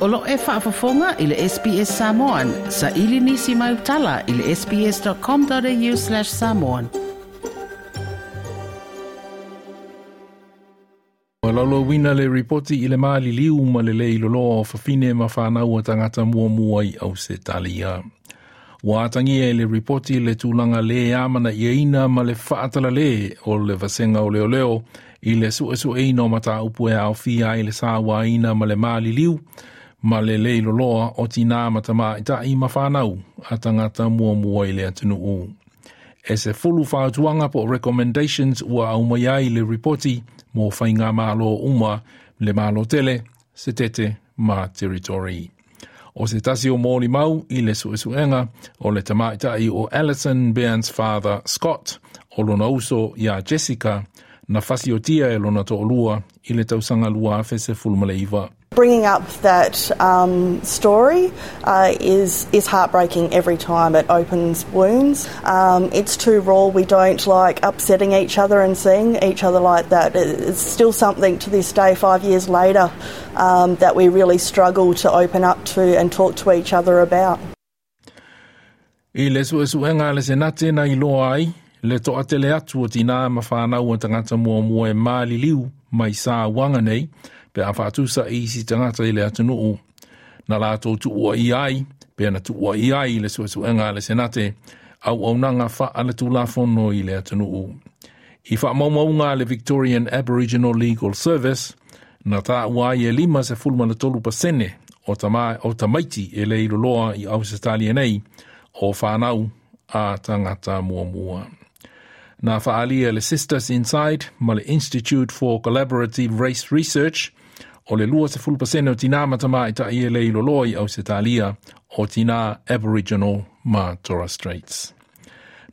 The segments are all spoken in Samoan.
O lo o e faafofoga i le SBS Samoan. Saili nisi mau tala i le sbs.com.au/samoan. Ua laulauina le ripoti i le maliliu ma le le iloloa o fafine ma fanau a tagata muamua i Ausetalia. Ua atagia i le ripoti le tulaga le amanaiaina ma le faatalale o le vasega o leoleo i le suesueina o mataupu e aofia ai le sauaina ma le maliliu ma le le iloloa o tinā ma tamaitai ma fanau a tagata muamua i le atunuu. E 10 fautuaga po o recommendations ua aumai ai le ripoti mo faigamalo uma le Malo tele, Setete ma Territory. O se tasi o molimau i le suesuega o le tamaitai o Alison Bairnsfather Scott o lona uso iā Jessica na fasiotia e lona toalua i le tausaga 2019. Bringing up that story is heartbreaking every time. It opens wounds. It's too raw. We don't like upsetting each other and seeing each other like that. It's still something to this day, 5 years later, that we really struggle to open up to and talk to each other about. I le suesuega a le Senate na iloa ai, le toatele atu o tinā ma fanau a tagata muamua e maliliu mai sauaga nei, pe a faatusa i isi tagata i le atunuu. Na latou tuuaia ai, pe na tuuaia ai le suesuega a le Senate, auaunaga faaletulafono i le atunuu. I faamaumauga a le Victorian Aboriginal Legal Service, na taua ai e 53% o tamaiti e le iloloa i Ausetalia nei, o fanau a tagata muamua. Na faalia le Sisters Inside ma le Institute for Collaborative Race Research o le 20% o tinā ma tamaitai e le iloloa i Ausetalia o tinā Aboriginal ma Torres Straits.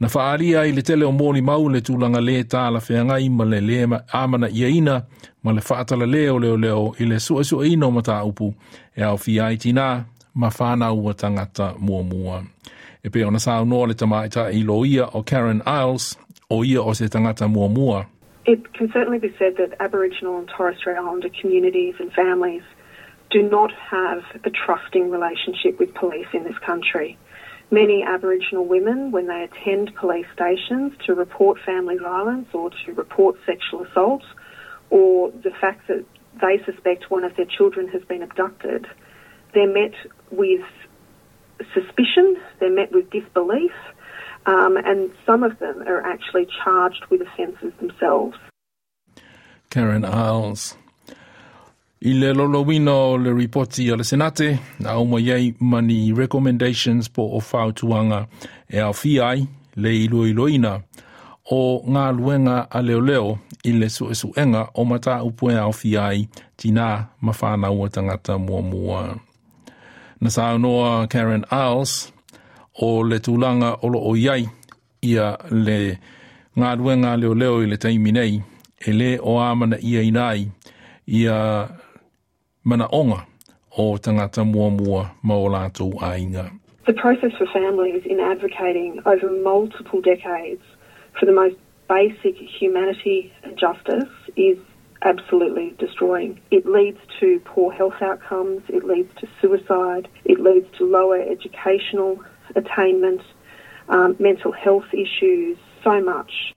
Na faalia i le tele o molimau le tulaga le talafeagai ma le le amanaiaina ma le faatalale o leoleo i le suesueina o mataupu e aofia ai tinā ma fanau a tagata muamua. E pei ona saunoa le tamaitai loia o Karen Iles o ia o se tagata muamua. It can certainly be said that Aboriginal and Torres Strait Islander communities and families do not have a trusting relationship with police in this country. Many Aboriginal women, when they attend police stations to report family violence or to report sexual assault or the fact that they suspect one of their children has been abducted, they're met with suspicion, they're met with disbelief, and some of them are actually charged with offences themselves. Karen Iles. I le laulauina o le ripoti a le Senate, na aumai ai ma ni recommendations po o fautuaga e aofia ai le iloiloina o galuega a leoleo i le suesuega o mataupu e aofia ai tinā ma fanau a tagata muamua. Na saunoa Karen Iles o le tulaga o lo o i ai ia le galuega a leoleo i le taimi nei e le o amanaiaina ai ia manaoga o tagata muamua ma o latou aiga. The process for families in advocating over multiple decades for the most basic humanity and justice is absolutely destroying. It leads to poor health outcomes, it leads to suicide, it leads to lower educational attainment, mental health issues, so much.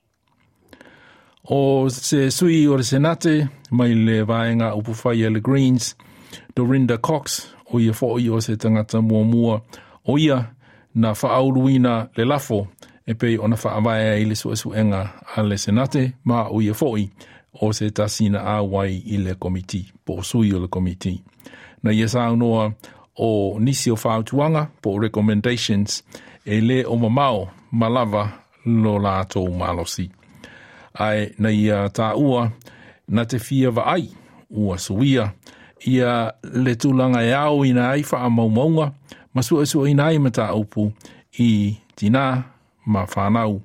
O se sui o le Senate mai le vaega upufai a le Greens, Dorinda Cox, o ia foi o se tagata muamua, o ia na faauluina le lafo e pei ona faavae ai le suesuega a le Senate ma o ia foi o se tasi na auai i le komiti, po o sui o le komiti. Na ia saunoa o nisi o fautuaga po o recommendations e le o mamao ma lava lo latou malosi. Ae na ia taua na te fia vaai ua suia ia le tulaga e aoina ai faamaumauga ma suesueina ai mataupu i tinā ma fanau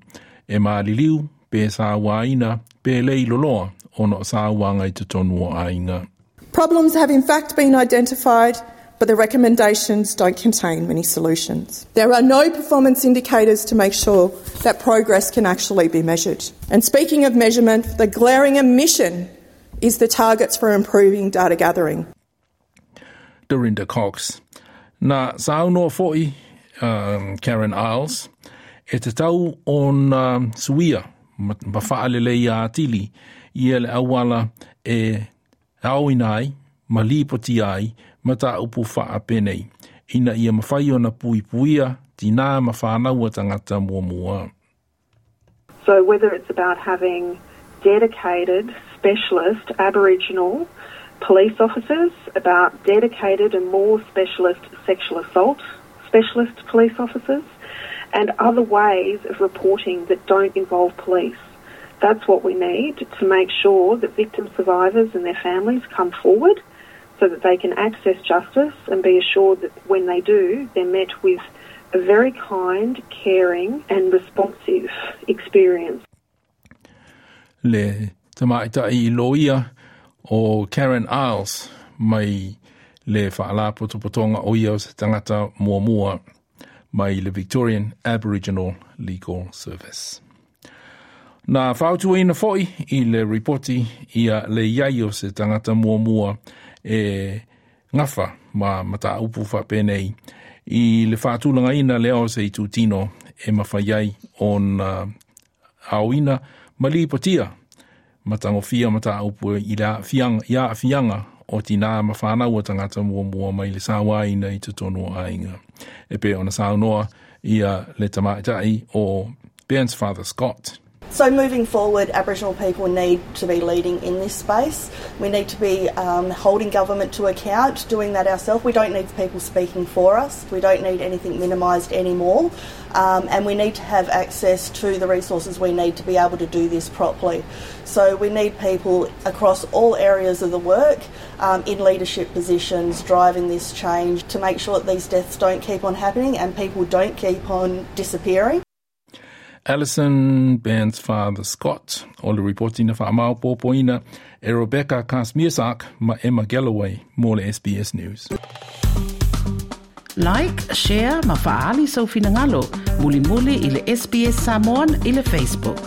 e maliliu pe sauaina pe le iloloa ona o sauaga i totonu o aiga. Problems have in fact been identified, but the recommendations don't contain many solutions. There are no performance indicators to make sure that progress can actually be measured. And speaking of measurement, the glaring omission is the targets for improving data gathering. Dorinda Cox. Na saunoa fo'i Karen Iles, e tatau ona suia ma fa'aleleia atili ia le auala e aoina ai ma lipotia ai mataupu fa'apenei ina ia mafai ona puipuia tinā ma fanau a tagata muamua. So whether it's about having dedicated specialist Aboriginal police officers, about dedicated and more specialist sexual assault specialist police officers, and other ways of reporting that don't involve police. That's what we need to make sure that victim survivors and their families come forward so that they can access justice and be assured that when they do, they're met with a very kind, caring and responsive experience. Le tamaitai loia o Karen Iles mai le Faalapotopotoga o ia o se Tagata Muamua mai le Victorian Aboriginal Legal Service. Na fautuaina fo'i i le ripoti ia le iai o se tagata muamua e gafa ma mataupu faapenei i le faatulagaina lea o se itutino e mafai ai ona aoina ma lipotia matagofia mataupu i le aafiaga i aafiaga o tinā ma fanau a tagata muamua mai le sauaina i totonu o aiga. E pei ona saunoa ia le tamaitai o Bairnsfather Scott. So moving forward, Aboriginal people need to be leading in this space. We need to be holding government to account, doing that ourselves. We don't need people speaking for us. We don't need anything minimised anymore. And we need to have access to the resources we need to be able to do this properly. So we need people across all areas of the work in leadership positions driving this change to make sure that these deaths don't keep on happening and people don't keep on disappearing. Alison Bairnsfather Scott o le ripoti na faamaopoopoina e Rebecca Kazmierczak ma Emma Galloway mo le SBS News. Like, share ma fa'aali sou finagalo. Mulimuli i le SBS Samoan i le Facebook.